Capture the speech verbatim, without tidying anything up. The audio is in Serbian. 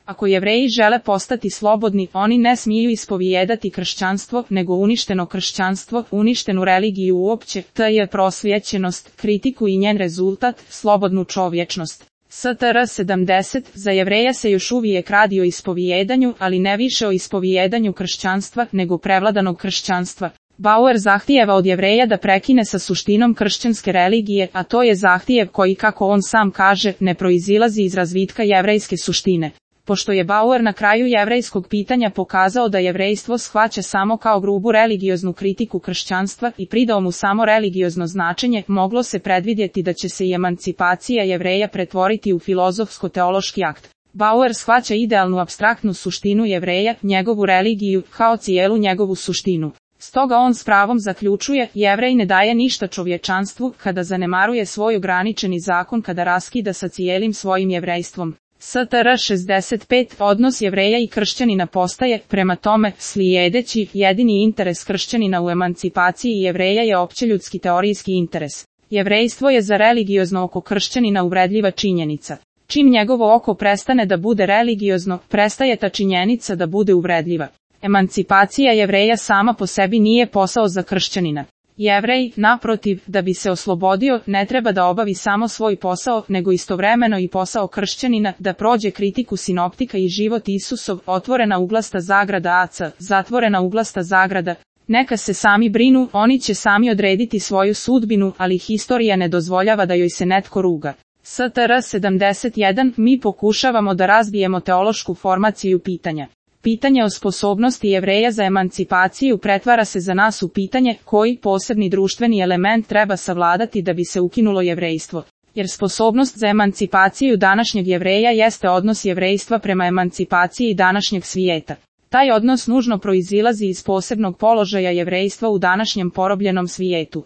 Ako Jevreji žele postati slobodni, oni ne smiju ispovijedati kršćanstvo, nego uništeno kršćanstvo, uništenu religiju uopće, to je prosvjećenost, kritiku i njen rezultat, slobodnu čovječnost. S T R sedamdeset, za Jevreja se još uvijek radi o ispovijedanju, ali ne više o ispovijedanju kršćanstva, nego prevladanog kršćanstva. Bauer zahtijeva od Jevreja da prekine sa suštinom kršćanske religije, a to je zahtjev koji, kako on sam kaže, ne proizilazi iz razvitka jevrejske suštine. Pošto je Bauer na kraju jevrejskog pitanja pokazao da jevrejstvo shvaća samo kao grubu religioznu kritiku kršćanstva i pridao mu samo religiozno značenje, moglo se predvidjeti da će se i emancipacija Jevreja pretvoriti u filozofsko-teološki akt. Bauer shvaća idealnu apstraktnu suštinu Jevreja, njegovu religiju, kao cijelu njegovu suštinu. Stoga on s pravom zaključuje, Jevrej ne daje ništa čovječanstvu kada zanemaruje svoj ograničeni zakon, kada raskida sa cijelim svojim jevrejstvom. S T R šezdeset pet, odnos Jevreja i kršćanina postaje, prema tome, slijedeći, jedini interes kršćanina u emancipaciji Jevreja je općeljudski teorijski interes. Jevrejstvo je za religiozno oko kršćanina uvredljiva činjenica. Čim njegovo oko prestane da bude religiozno, prestaje ta činjenica da bude uvredljiva. Emancipacija Jevreja sama po sebi nije posao za kršćanina. Jevrej, naprotiv, da bi se oslobodio, ne treba da obavi samo svoj posao, nego istovremeno i posao kršćanina, da prođe kritiku sinoptika i život Isusov, otvorena uglasta zagrada A C, zatvorena uglasta zagrada. Neka se sami brinu, oni će sami odrediti svoju sudbinu, ali historija ne dozvoljava da joj se netko ruga. S T R sedamdeset jedan, mi pokušavamo da razbijemo teološku formaciju pitanja. Pitanje o sposobnosti Jevreja za emancipaciju pretvara se za nas u pitanje koji posebni društveni element treba savladati da bi se ukinulo jevrejstvo. Jer sposobnost za emancipaciju današnjeg Jevreja jeste odnos jevrejstva prema emancipaciji današnjeg svijeta. Taj odnos nužno proizilazi iz posebnog položaja jevrejstva u današnjem porobljenom svijetu.